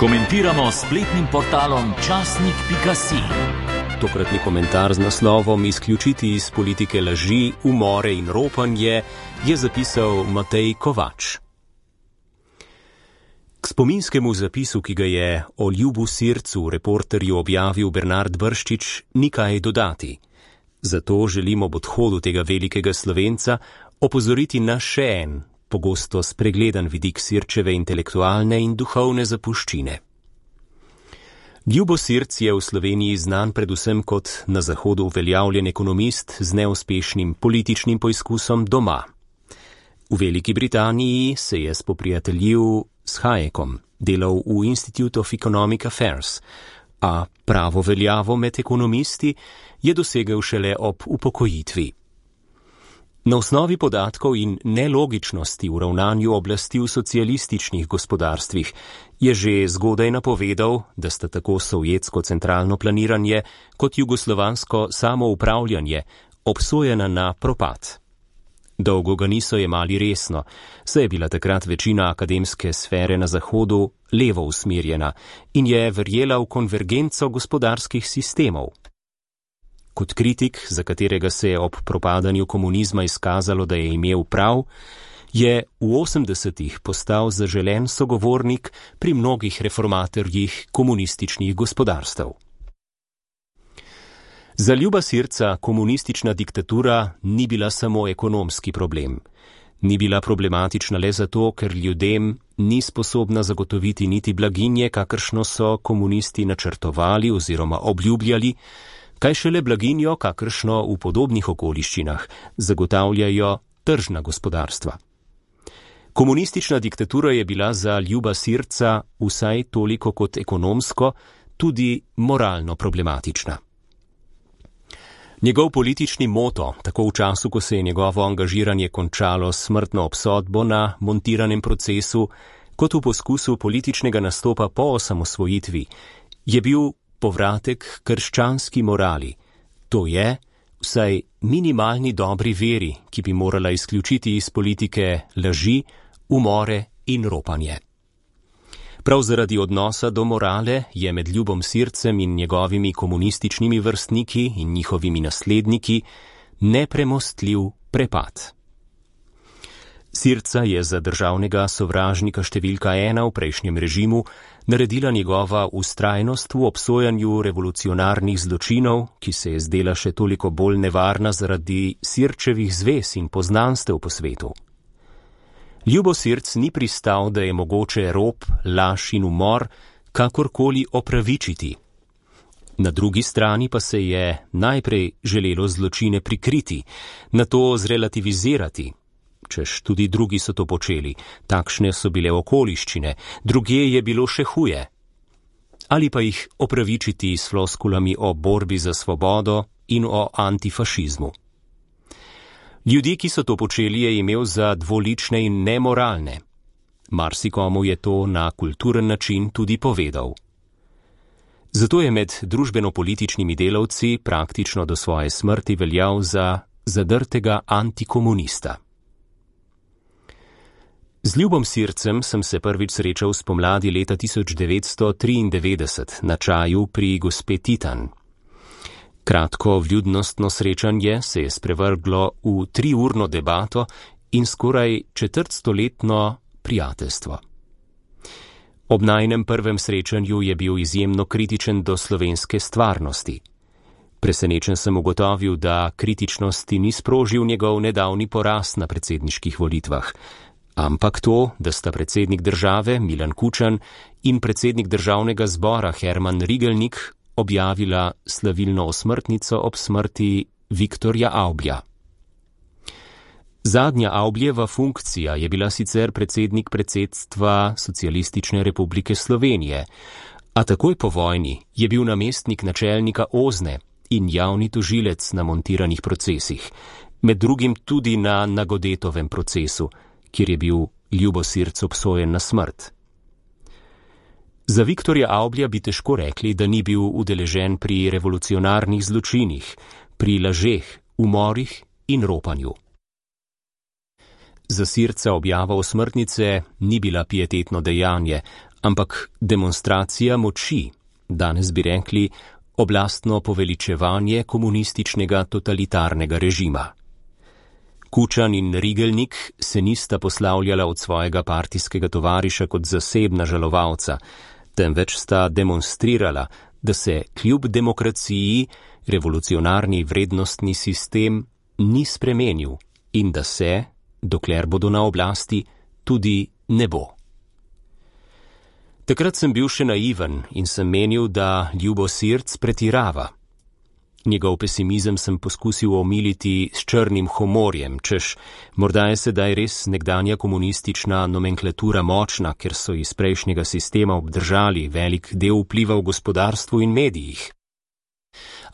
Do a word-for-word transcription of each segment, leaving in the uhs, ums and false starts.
Komentiramo s spletnim portalom časnik pika si. Tokratni komentar z naslovom Izključiti iz politike laži, umore in ropanje je zapisal Matej Kovač. K spominskemu zapisu, ki ga je o Ljubu Sircu reporterju objavil Bernard Brščič, ni kaj dodati. Zato želim ob odhodu tega velikega Slovenca opozoriti na še en, pogosto spregledan vidik Sirčeve intelektualne in duhovne zapuščine. Ljubo Sirc je v Sloveniji znan predvsem kot na Zahodu uveljavljen ekonomist z neuspešnim političnim poizkusom doma. V Veliki Britaniji se je spoprijateljil s Hayekom, delal v Institute of Economic Affairs, a pravo veljavo med ekonomisti je dosegel šele ob upokojitvi. Na osnovi podatkov in nelogičnosti v ravnanju oblasti v socialističnih gospodarstvih je že zgodaj napovedal, da sta tako sovjetsko centralno planiranje kot jugoslovansko samoupravljanje obsojena na propad. Dolgo ga niso jemali resno, saj je bila takrat večina akademske sfere na Zahodu levo usmerjena in je verjela v konvergenco gospodarskih sistemov. Kot kritik, za katerega se je ob propadanju komunizma izkazalo, da je imel prav, je v osemdesetih postal zaželen sogovornik pri mnogih reformatorjih komunističnih gospodarstev. Za Ljuba Sirca komunistična diktatura ni bila samo ekonomski problem. Ni bila problematična le zato, ker ljudem ni sposobna zagotoviti niti blaginje, kakršno so komunisti načrtovali oziroma obljubljali, kaj šele blaginjo, kakršno v podobnih okoliščinah zagotavljajo tržna gospodarstva. Komunistična diktatura je bila za Ljuba Sirca vsaj toliko kot ekonomsko, tudi moralno problematična. Njegov politični moto, tako v času, ko se je njegovo angažiranje končalo s smrtno obsodbo na montiranem procesu, kot v poskusu političnega nastopa po osamosvojitvi, je bil povratek krščanski morali, to je vsaj minimalni dobri veri, ki bi morala izključiti iz politike laži, umore in ropanje. Prav zaradi odnosa do morale je med Ljubom Sircem in njegovimi komunističnimi vrstniki in njihovimi nasledniki nepremostljiv prepad. Sirca je za državnega sovražnika številka ena v prejšnjem režimu naredila njegova vztrajnost v obsojanju revolucionarnih zločinov, ki se je zdela še toliko bolj nevarna zaradi Sirčevih zvez in poznanstev po svetu. Ljubo Sirc ni pristal, da je mogoče rop, laž in umor kakorkoli opravičiti. Na drugi strani pa se je najprej želelo zločine prikriti, nato zrelativizirati, češ tudi drugi so to počeli, takšne so bile okoliščine, drugje je bilo še huje. Ali pa jih opravičiti s floskulami o borbi za svobodo in o antifašizmu. Ljudi, ki so to počeli, je imel za dvolične in nemoralne. Marsikomu je to na kulturen način tudi povedal. Zato je med družbeno-političnimi delavci praktično do svoje smrti veljal za zadrtega antikomunista. Z Ljubom Sircem sem se prvič srečal spomladi leta tisoč devetsto triindevetdeset na čaju pri gospe Titan. Kratko vljudnostno srečanje se je sprevrglo v triurno debato in skoraj četrtstoletno prijateljstvo. Ob najinem prvem srečanju je bil izjemno kritičen do slovenske stvarnosti. Presenečen sem ugotovil, da kritičnosti ni sprožil njegov nedavni poraz na predsedniških volitvah, ampak to, da sta predsednik države Milan Kučan in predsednik državnega zbora Herman Rigelnik objavila slavilno osmrtnico ob smrti Viktorja Avblja. Zadnja Avbljeva funkcija je bila sicer predsednik predsedstva Socialistične republike Slovenije, a takoj po vojni je bil namestnik načelnika Ozne in javni tožilec na montiranih procesih, med drugim tudi na Nagodetovem procesu, kjer je bil Ljubo Sirc obsojen na smrt. Za Viktorja Avblja bi težko rekli, da ni bil udeležen pri revolucionarnih zločinih, pri lažeh, umorih in ropanju. Za Sirca objava osmrtnice ni bila pietetno dejanje, ampak demonstracija moči, danes bi rekli oblastno poveličevanje komunističnega totalitarnega režima. Kučan in Rigelnik se nista poslavljala od svojega partijskega tovariša kot zasebna žalovalca, temveč sta demonstrirala, da se kljub demokraciji revolucionarni vrednostni sistem ni spremenil in da se, dokler bodo na oblasti, tudi ne bo. Takrat sem bil še naiven in sem menil, da Ljubo Sirc pretirava. Njegov pesimizem sem poskusil omiliti s črnim humorjem, češ morda je sedaj res nekdanja komunistična nomenklatura močna, ker so iz prejšnjega sistema obdržali velik del vpliva v gospodarstvu in medijih.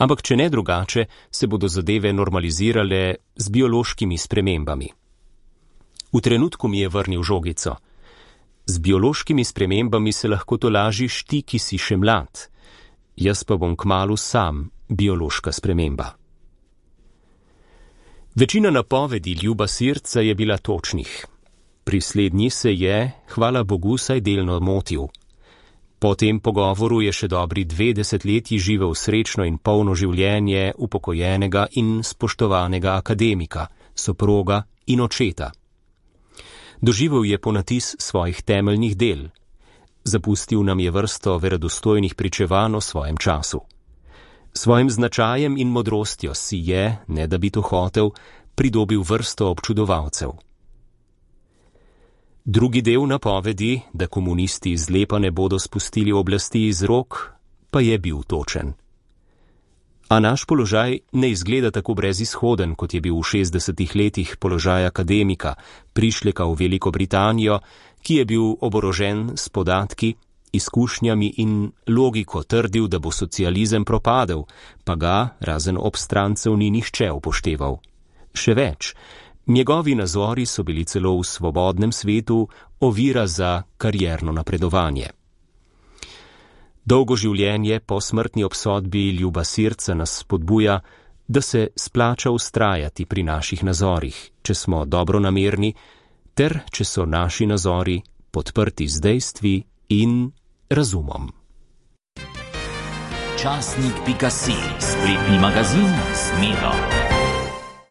Ampak če ne drugače, se bodo zadeve normalizirale z biološkimi spremembami. V trenutku mi je vrnil žogico. Z biološkimi spremembami se lahko tolažiš ti, ki si še mlad. Jaz pa bom kmalu sam biološka sprememba. Večina napovedi Ljuba Sirca je bila točnih. Pri slednji se je, hvala Bogu, saj delno motil. Po tem pogovoru je še dobri dve desetletji živel srečno in polno življenje upokojenega in spoštovanega akademika, soproga in očeta. Doživel je ponatis svojih temeljnih del. Zapustil nam je vrsto verodostojnih pričevanj o svojem času. Svojim značajem in modrostjo si je, ne da bi to hotel, pridobil vrsto občudovalcev. Drugi del napovedi, da komunisti zlepa ne bodo spustili oblasti iz rok, pa je bil točen. A naš položaj ne izgleda tako brezizhoden, kot je bil v šestdesetih letih položaj akademika, prišleka v Veliko Britanijo, ki je bil oborožen s podatki, izkušnjami in logiko trdil, da bo socializem propadel, pa ga, razen obstrancev, ni nihče upošteval. Še več, njegovi nazori so bili celo v svobodnem svetu ovira za karierno napredovanje. Dolgo življenje po smrtni obsodbi Ljuba Sirca nas spodbuja, da se splača vztrajati pri naših nazorih, če smo dobronamerni, ter če so naši nazori podprti z dejstvi in razumom. Časnik pika si, spletni magazin s Miro.